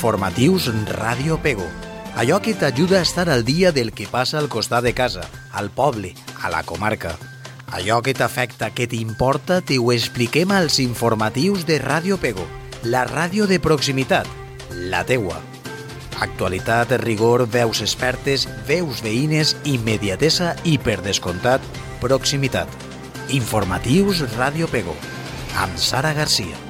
Informatius Ràdio Pego. Allò que t'ajuda a estar al dia del que passa al costat de casa, al poble, a la comarca. Allò que t'afecta, que t'importa, t'ho expliquem als informatius de Ràdio Pego, la ràdio de proximitat, la teua. Actualitat, rigor, veus expertes, veus veïnes, immediatesa i, per descomptat, proximitat. Informatius Ràdio Pego, amb Sara Garcia.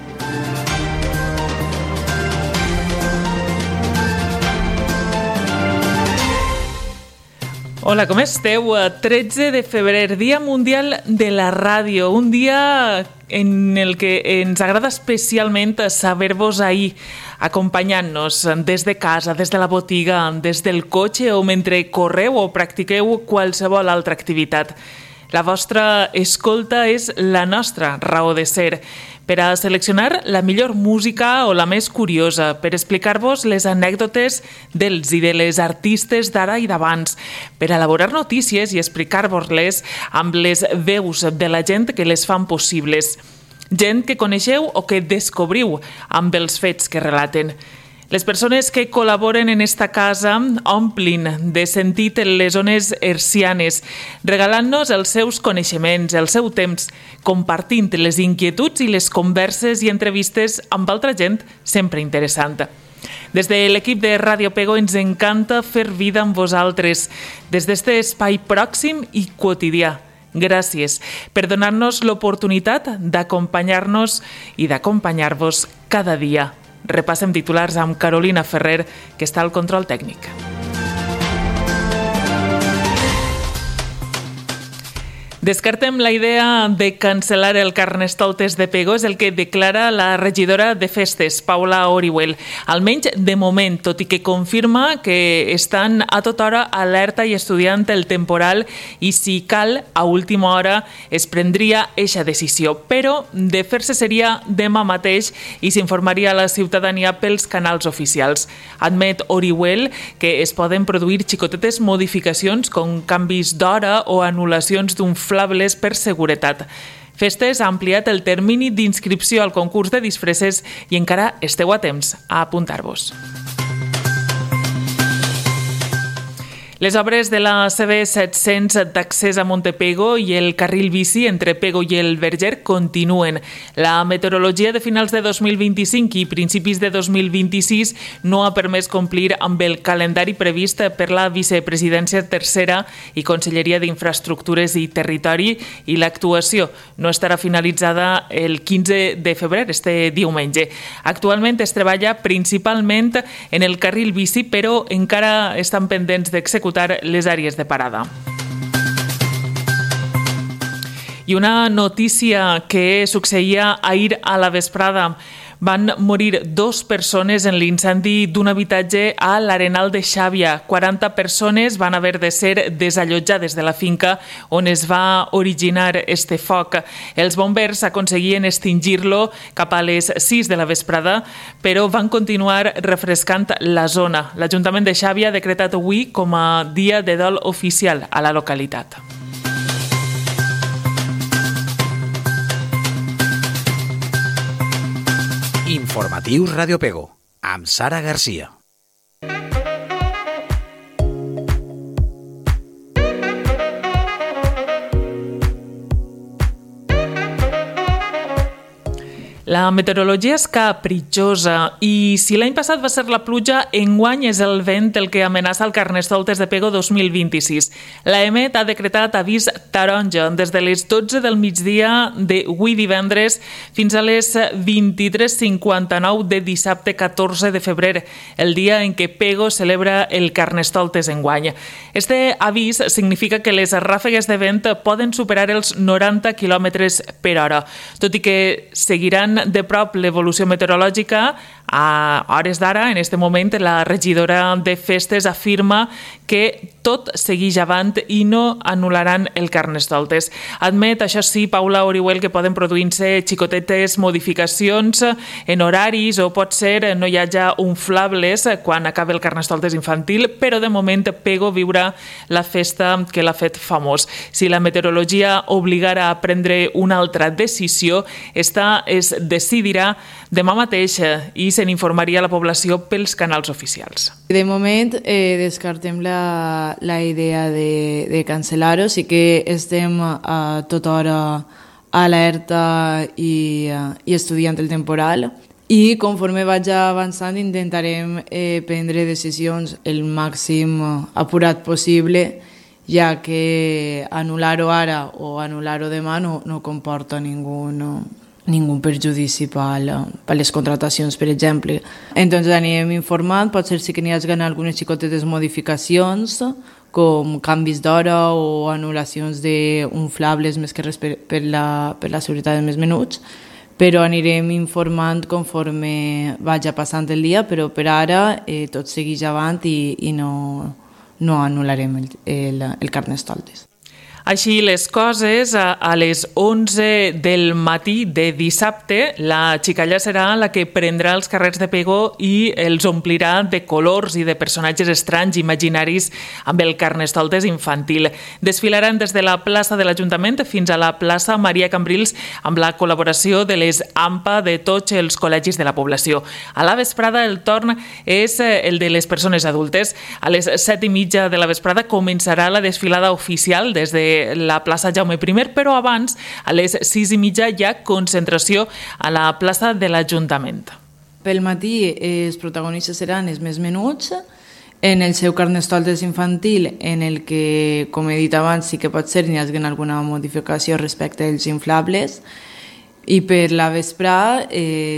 Hola, com esteu? 13 de febrer, Dia Mundial de la Ràdio, un dia en el que ens agrada especialment saber-vos ahir, acompanyant-nos des de casa, des de la botiga, des del cotxe o mentre correu o practiqueu qualsevol altra activitat. La vostra escolta és la nostra raó de ser, per a seleccionar la millor música o la més curiosa, per explicar-vos les anècdotes dels i de les artistes d'ara i d'abans, per elaborar notícies i explicar-vos-les amb les veus de la gent que les fan possibles. Gent que coneixeu o que descobriu amb els fets que relaten. Les persones que col·laboren en esta casa omplin de sentit les zones hercianes, regalant-nos els seus coneixements, el seu temps, compartint les inquietuds i les converses i entrevistes amb altra gent sempre interessant. Des de l'equip de Ràdio Pego ens encanta fer vida amb vosaltres, des d'este espai pròxim i quotidià. Gràcies per donar-nos l'oportunitat d'acompanyar-nos i d'acompanyar-vos cada dia. Repassem titulars amb Carolina Ferrer, que està al control tècnic. Descartem la idea de cancel·lar el Carnestoltes de Pego, és el que declara la regidora de Festes, Paula Orihuel. Almenys de moment, tot i que confirma que estan a tota hora alerta i estudiant el temporal i si cal, a última hora es prendria eixa decisió. Però de fer-se seria demà mateix i s'informaria a la ciutadania pels canals oficials. Admet Orihuel que es poden produir xicotetes modificacions com canvis d'hora o anul·lacions d'un flables per seguretat. Festes ha ampliat el termini d'inscripció al concurs de disfresses i encara esteu a temps a apuntar-vos. Les obres de la CB700 d'accés a Montepego i el carril bici entre Pego i el Verger continuen. La meteorologia de finals de 2025 i principis de 2026 no ha permès complir amb el calendari previst per la vicepresidència tercera i Conselleria d'Infraestructures i Territori i l'actuació no estarà finalitzada el 15 de febrer, este diumenge. Actualment es treballa principalment en el carril bici, però encara estan pendents d'executar les àrees de parada. I una notícia que succeïa ahir a la vesprada. Van morir 2 persones en l'incendi d'un habitatge a l'Arenal de Xàbia. 40 persones van haver de ser desallotjades de la finca on es va originar este foc. Els bombers aconseguien extingir-lo cap a les 6 de la vesprada, però van continuar refrescant la zona. L'Ajuntament de Xàbia ha decretat avui com a dia de dol oficial a la localitat. Informatius Ràdio Pego, amb Sara Garcia. La meteorologia és capritxosa i si l'any passat va ser la pluja, enguany és el vent el que amenaça el Carnestoltes de Pego 2026. L'EMET ha decretat avís taronja des de les 12 del migdia d'avui divendres fins a les 23:59 de dissabte 14 de febrer, el dia en què Pego celebra el Carnestoltes enguany. Este avís significa que les ràfegues de vent poden superar els 90 km per hora, tot i que seguiran de prop l'evolució meteorològica. A hores d'ara, en este moment, la regidora de Festes afirma que tot segueix avant i no anul·laran el Carnestoltes. Admet, això sí, Paula Orihuel, que poden produir-se xicotetes modificacions en horaris o pot ser no hi hagi unflables quan acabi el Carnestoltes infantil, però de moment Pego viurà la festa que l'ha fet famós. Si la meteorologia obligara a prendre una altra decisió, esta és decidirà demà mateix i se n'informaria a la població pels canals oficials. De moment descartem la idea de cancel·lar-ho, sí que estem a tota hora alerta i estudiant el temporal, i conforme vaig avançant intentarem prendre decisions el màxim apurat possible, ja que anul·lar-ho ara o anul·lar-ho demà no comporta ningú perjudici per les contratacions, per exemple. Entonces anirem informant, potser sí que n'hi hagi algunes xicotetes modificacions, com canvis d'hora o anul·lacions d'inflables més que res per la seguretat dels més menuts, però anirem informant conforme vagi passant el dia, però per ara tot segueix avant i no anul·larem el Carnestoltes. Així les coses, a les 11 del matí de dissabte, la xicalla serà la que prendrà els carrers de Pego i els omplirà de colors i de personatges estranys imaginaris amb el Carnestoltes infantil. Desfilaran des de la plaça de l'Ajuntament fins a la plaça Maria Cambrils amb la col·laboració de les AMPA de tots els col·legis de la població. A la vesprada el torn és el de les persones adultes. A les 7:30 de la vesprada començarà la desfilada oficial des de la plaça Jaume I, però abans, a les 6:30, hi ha concentració a la plaça de l'Ajuntament. Pel matí els protagonistes seran els més menuts, en el seu Carnestoltes infantil, en el que, com he dit abans, sí que pot ser n'hi hagi alguna modificació respecte als inflables, i per la vesprà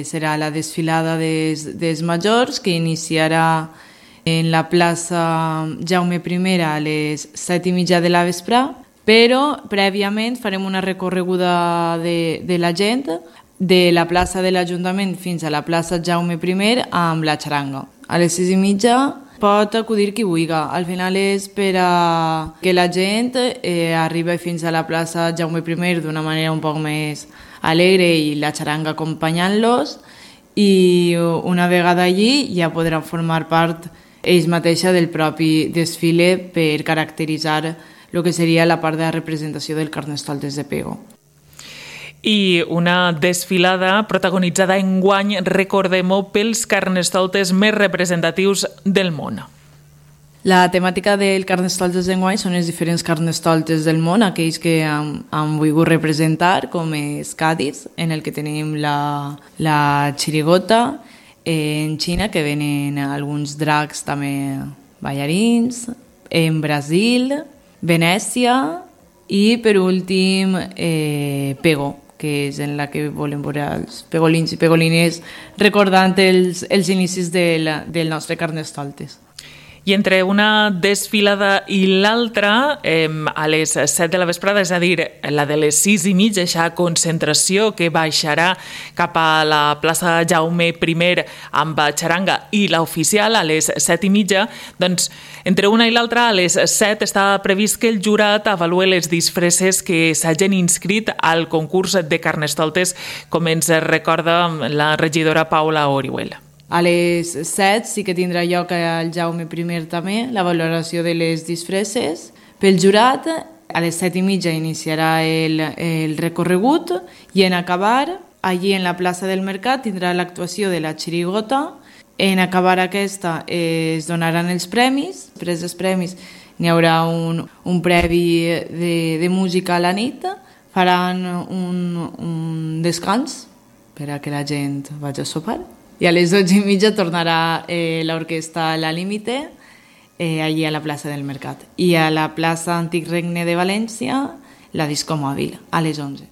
serà la desfilada dels majors, que iniciarà en la plaça Jaume I a les 7:30 de la vesprà, però prèviament farem una recorreguda de la gent de la plaça de l'Ajuntament fins a la plaça Jaume I amb la xaranga. A les 6:30 pot acudir qui vulgui. Al final és per a que la gent arribi fins a la plaça Jaume I d'una manera un poc més alegre i la xaranga acompanyant-los, i una vegada allí ja podran formar part ells mateixa del propi desfile per caracteritzar el que seria la part de la representació del Carnestoltes de Pego. I una desfilada protagonitzada enguany, recordem-ho, pels Carnestoltes més representatius del món. La temàtica del Carnestoltes d'enguany són els diferents Carnestoltes del món, aquells que han volgut representar, com és Cádiz, en el que tenim la Chirigota, en Xina, que venen alguns dracs també ballarins, en Brasil, Venècia, i per últim Pego, que és en la que volem veure els pegolins i pegolines recordant els inicis del nostre Carnestoltes. I entre una desfilada i l'altra, a les 7 de la vesprada, és a dir, la de les 6:30, aquesta concentració que baixarà cap a la plaça Jaume I amb xaranga, i l'oficial a les 7:30, doncs entre una i l'altra, a les 7 està previst que el jurat avalue les disfresses que s'hagin inscrit al concurs de Carnestoltes, com ens recorda la regidora Paula Orihuela. A les 7 sí que tindrà lloc al Jaume I també la valoració de les disfresses. Pel jurat, a les 7:30 iniciarà el recorregut, i en acabar, allí en la plaça del Mercat, tindrà l'actuació de la Chirigota. En acabar aquesta es donaran els premis. Després dels premis n'hi haurà un previ de música a la nit. Faran un descans per a que la gent vagi a sopar. I a les 12:30 tornarà l'orquestra La Límite allí a la plaça del Mercat. I a la plaça Antic Regne de València, la Disco Mòbil, a les 11.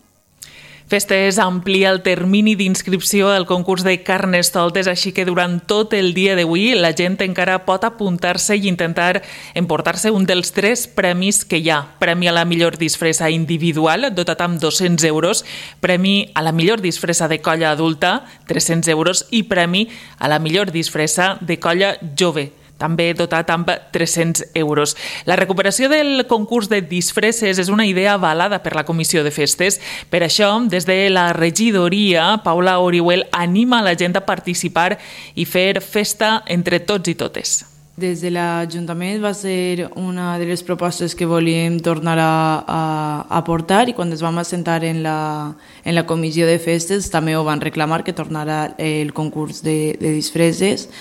Festes amplia el termini d'inscripció al concurs de Carnestoltes, així que durant tot el dia d'avui la gent encara pot apuntar-se i intentar emportar-se un dels 3 premis que hi ha. Premi a la millor disfressa individual, dotat amb 200 euros, premi a la millor disfressa de colla adulta, 300 euros, i premi a la millor disfressa de colla jove, també dotat amb 300 euros. La recuperació del concurs de disfresses és una idea avalada per la Comissió de Festes. Per això, des de la regidoria, Paula Orihuel anima la gent a participar i fer festa entre tots i totes. Des de l'Ajuntament va ser una de les propostes que volíem tornar a portar, i quan ens vam assentar en la comissió de festes també ho van reclamar, que tornara el concurs de disfresses,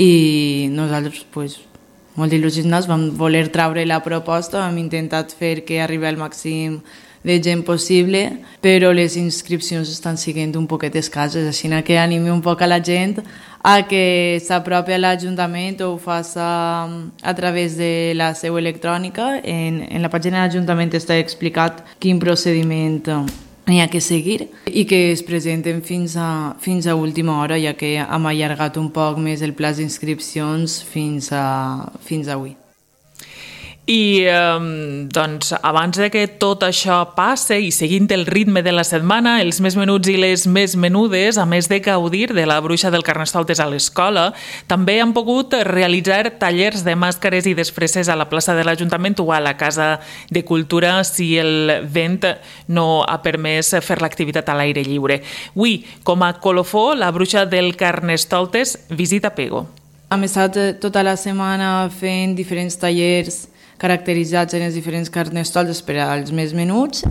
i nosaltres, molt il·lusionats, vam voler treure la proposta, vam intentat fer que arribi al màxim de gent possible, però les inscripcions estan sent un poquet escasses, així que animi un poc a la gent a que s'apropi a l'Ajuntament o ho faci a través de la seu electrònica. En la pàgina de l'Ajuntament està explicat quin procediment hi ha que seguir i que es presenten fins a última hora, ja que hem allargat un poc més el pla d'inscripcions fins avui. I doncs, abans de que tot això passe i seguint el ritme de la setmana, els més menuts i les més menudes, a més de gaudir de la bruixa del Carnestoltes a l'escola, també han pogut realitzar tallers de màscares i disfresses a la plaça de l'Ajuntament o a la Casa de Cultura si el vent no ha permès fer l'activitat a l'aire lliure. Avui, com a colofó, la bruixa del Carnestoltes visita Pego. Hem estat tota la setmana fent diferents tallers caracteritzats en els diferents carnestoltes per als més menuts,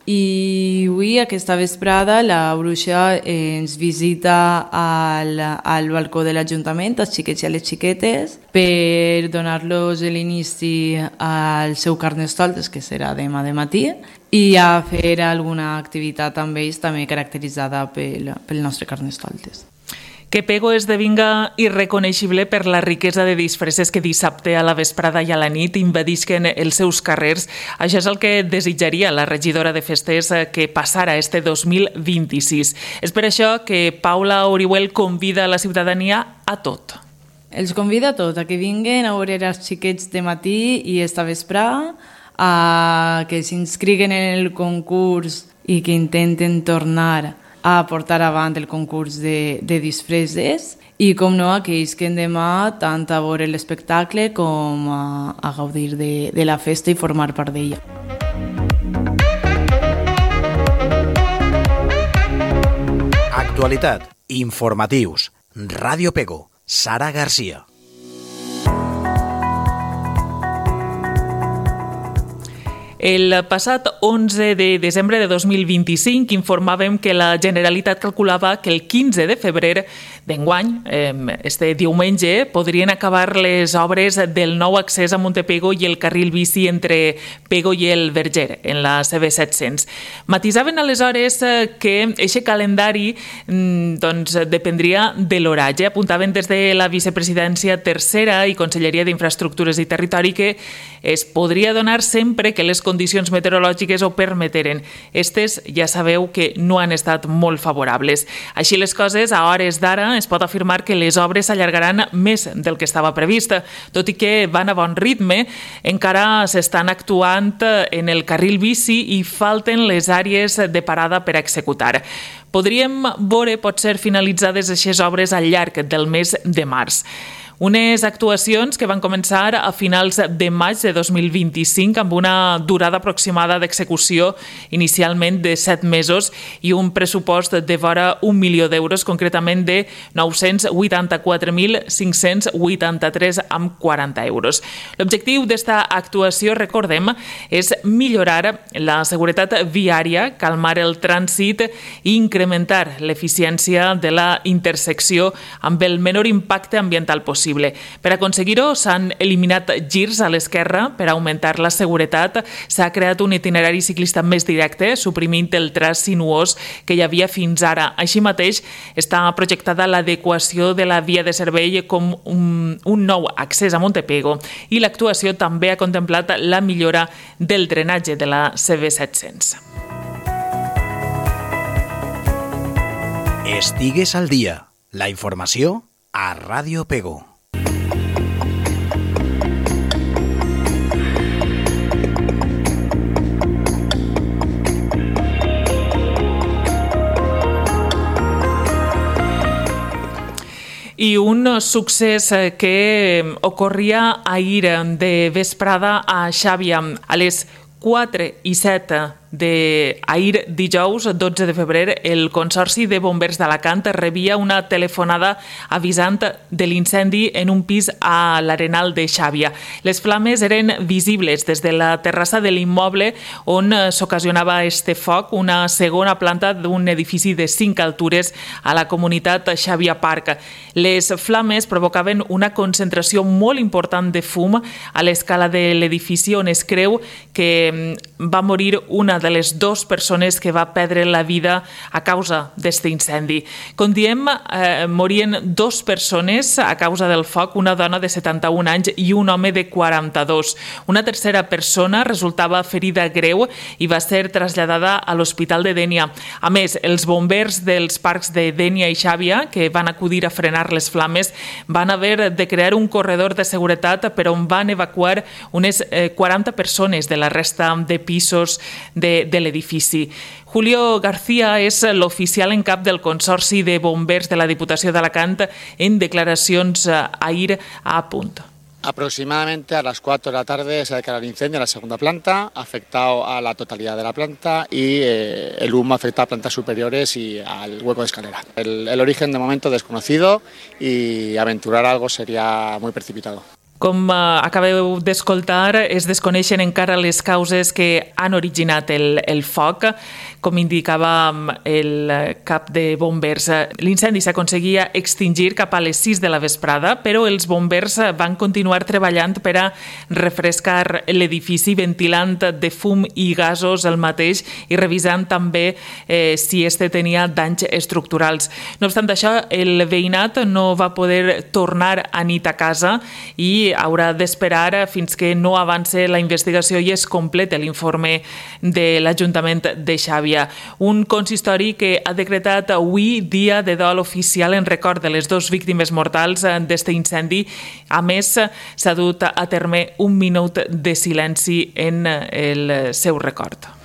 i avui, aquesta vesprada, la bruixa ens visita al balcó de l'Ajuntament, als xiquets i a les xiquetes, per donar-los l'inici al seu carnestoltes, que serà demà de matí, i a fer alguna activitat amb ells també caracteritzada pel nostre carnestoltes. Que Pego esdevinga irreconeixible per la riquesa de disfresses que dissabte a la vesprada i a la nit invadisquen els seus carrers. Això és el que desitjaria la regidora de festes que passara este 2026. És per això que Paula Orihuel convida a la ciutadania a tot. Els convida a tot, a que vinguen a veure els xiquets de matí i esta vesprada, a que s'inscriguen en el concurs i que intenten tornar a portar avant el concurs de disfresses, i com no, aquells que demà tant a veure l'espectacle com a gaudir de la festa i formar part d'ella. Actualitat, informatius, Ràdio Pego, Sara Garcia. El passat 11 de desembre de 2025 informàvem que la Generalitat calculava que el 15 de febrer d'enguany, este diumenge, podrien acabar les obres del nou accés a Montepego i el carril bici entre Pego i el Verger, en la CB700. Matisaven aleshores que aquest calendari dependria de l'horatge. Apuntaven des de la vicepresidència tercera i Conselleria d'Infraestructures i Territori que es podria donar sempre que les condicions meteorològiques ho permeteren. Estes ja sabeu que no han estat molt favorables. Així les coses, a hores d'ara es pot afirmar que les obres s'allargaran més del que estava previst. Tot i que van a bon ritme, encara s'estan actuant en el carril bici i falten les àrees de parada per executar. Podríem veure potser finalitzades aquestes obres al llarg del mes de març. Unes actuacions que van començar a finals de maig de 2025 amb una durada aproximada d'execució inicialment de 7 mesos i un pressupost de vora 1 milió d'euros, concretament de 984.583,40 euros. L'objectiu d'esta actuació, recordem, és millorar la seguretat viària, calmar el trànsit i incrementar l'eficiència de la intersecció amb el menor impacte ambiental possible. Per aconseguir-ho, s'han eliminat girs a l'esquerra per augmentar la seguretat, s'ha creat un itinerari ciclista més directe, suprimint el traç sinuós que hi havia fins ara. Així mateix, està projectada l'adequació de la via de servei com un nou accés a Montepego i l'actuació també ha contemplat la millora del drenatge de la CB700. Estigues al dia. La informació a Ràdio Pego. I un succés que ocorria ahir de vesprada a Xàbia. A les 4:07 d'ahir dijous, 12 de febrer, el Consorci de Bombers d'Alacant rebia una telefonada avisant de l'incendi en un pis a l'Arenal de Xàbia. Les flames eren visibles des de la terrassa de l'immoble on s'ocasionava este foc, una segona planta d'un edifici de 5 altures a la comunitat Xàbia Park. Les flames provocaven una concentració molt important de fum a l'escala de l'edifici on es creu que va morir una de les 2 persones que va perdre la vida a causa d'aquest incendi. Com diem, morien 2 persones a causa del foc, una dona de 71 anys i un home de 42. Una tercera persona resultava ferida greu i va ser traslladada a l'Hospital de Dénia. A més, els bombers dels parcs de Dénia i Xàbia, que van acudir a frenar les flames, van haver de crear un corredor de seguretat per on van evacuar unes 40 persones de la resta de pisos de l'edifici. Julio García és l'oficial en cap del Consorci de Bombers de la Diputació d'Alacant en declaracions ahir a Punt. Aproximadamente a las 4 de la tarde se ha declarado el incendio en la segunda planta, ha afectado a la totalidad de la planta y el humo afecta a plantas superiores y al hueco de escalera. El origen de momento desconocido y aventurar algo sería muy precipitado. Com acabeu d'escoltar, es desconeixen encara les causes que han originat el foc. Com indicava el cap de bombers, l'incendi s'aconseguia extingir cap a les 6 de la vesprada, però els bombers van continuar treballant per a refrescar l'edifici, ventilant de fum i gasos el mateix i revisant també si este tenia danys estructurals. No obstant això, el veïnat no va poder tornar a nit a casa i haurà d'esperar fins que no avance la investigació i es complete l'informe de l'Ajuntament de Xàbia. Un consistori que ha decretat avui dia de dol oficial en record de les 2 víctimes mortals d'aquest incendi. A més, s'ha dut a terme un minut de silenci en el seu record.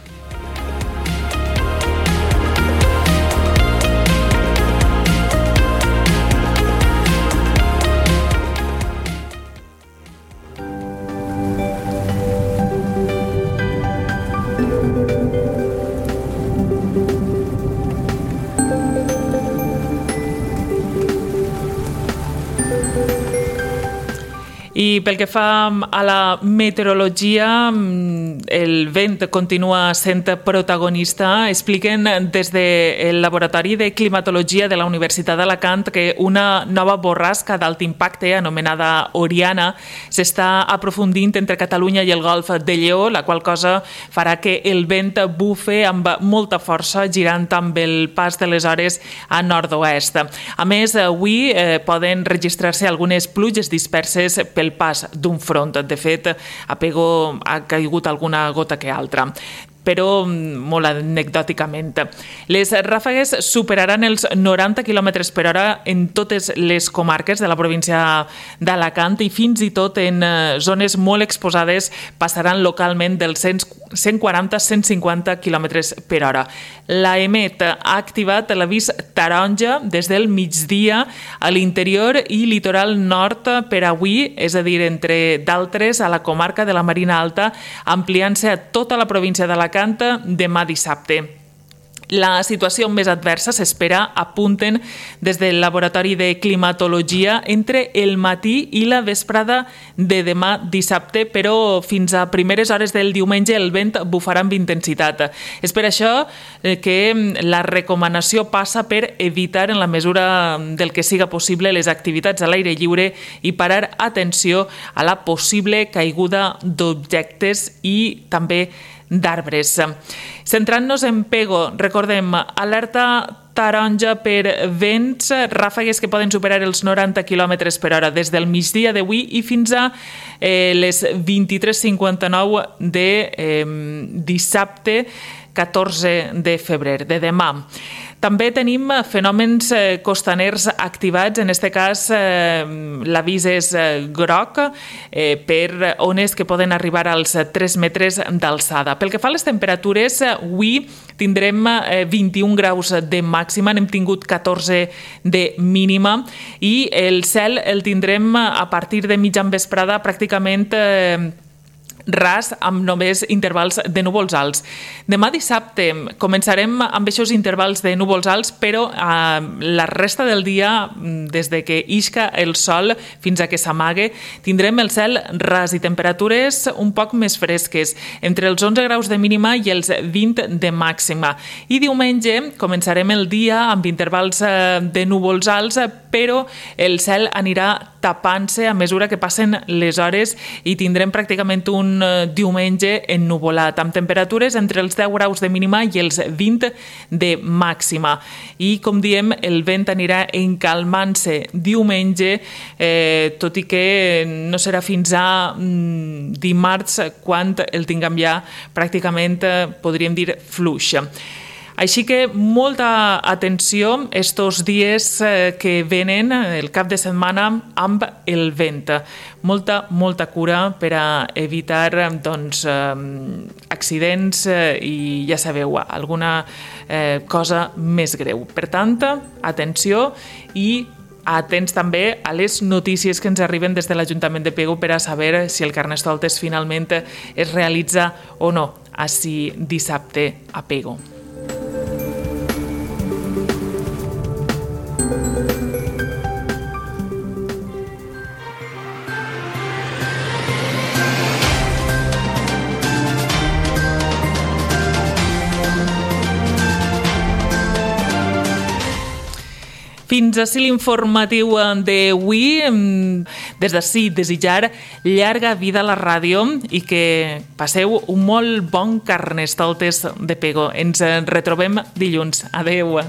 I pel que fa a la meteorologia, el vent continua sent protagonista. Expliquen des del Laboratori de Climatologia de la Universitat d'Alacant que una nova borrasca d'alt impacte, anomenada Oriana, s'està aprofundint entre Catalunya i el Golf de Lleó, la qual cosa farà que el vent bufe amb molta força, girant amb el pas de les hores a nord-oest. A més, avui poden registrar-se algunes pluges disperses pel pas d'un front. De fet, a Pego ha caigut alguna gota que altra, però molt anecdòticament. Les ràfegues superaran els 90 km per hora en totes les comarques de la província d'Alacant i fins i tot en zones molt exposades passaran localment dels 140-150 km per hora. L'AEMET ha activat l'avís taronja des del migdia a l'interior i litoral nord per avui, és a dir, entre d'altres a la comarca de la Marina Alta, ampliant-se a tota la província d'Alacant demà dissabte. La situació més adversa s'espera, apunten des del Laboratori de Climatologia, entre el matí i la vesprada de demà dissabte, però fins a primeres hores del diumenge el vent bufarà amb intensitat. És per això que la recomanació passa per evitar, en la mesura del que siga possible, les activitats a l'aire lliure i parar atenció a la possible caiguda d'objectes i també d'arbres. Centrant-nos en Pego, recordem, alerta taronja per vents, ràfegues que poden superar els 90 km per hora des del migdia d'avui i fins a les 23:59 de dissabte 14 de febrer, de demà. També tenim fenòmens costaners activats, en aquest cas l'avís és groc per ones que poden arribar als 3 metres d'alçada. Pel que fa a les temperatures, avui tindrem 21 graus de màxima, n'hem tingut 14 de mínima i el cel el tindrem a partir de mitjan vesprada pràcticament ras amb només intervals de núvols alts. Demà dissabte començarem amb aquests intervals de núvols alts, però la resta del dia, des de que isca el sol fins a que s'amague, tindrem el cel ras i temperatures un poc més fresques, entre els 11 graus de mínima i els 20 de màxima. I diumenge començarem el dia amb intervals de núvols alts, però el cel anirà tapant-se a mesura que passen les hores i tindrem pràcticament un diumenge ennuvolat, amb temperatures entre els 10 graus de mínima i els 20 de màxima. I, com diem, el vent anirà encalmant-se diumenge, tot i que no serà fins a dimarts quan el tinguem ja pràcticament, podríem dir, fluix. Així que molta atenció estos dies que venen, el cap de setmana, amb el vent. Molta cura per a evitar accidents i, ja sabeu, alguna cosa més greu. Per tant, atenció i atents també a les notícies que ens arriben des de l'Ajuntament de Pego per a saber si el Carnestoltes finalment es realitza o no així dissabte a Pego. Fins ací l'informatiu d'avui. Des d'ací desitjar llarga vida a la ràdio i que passeu un molt bon Carnestoltes de Pego. Ens retrobem dilluns. Adeu.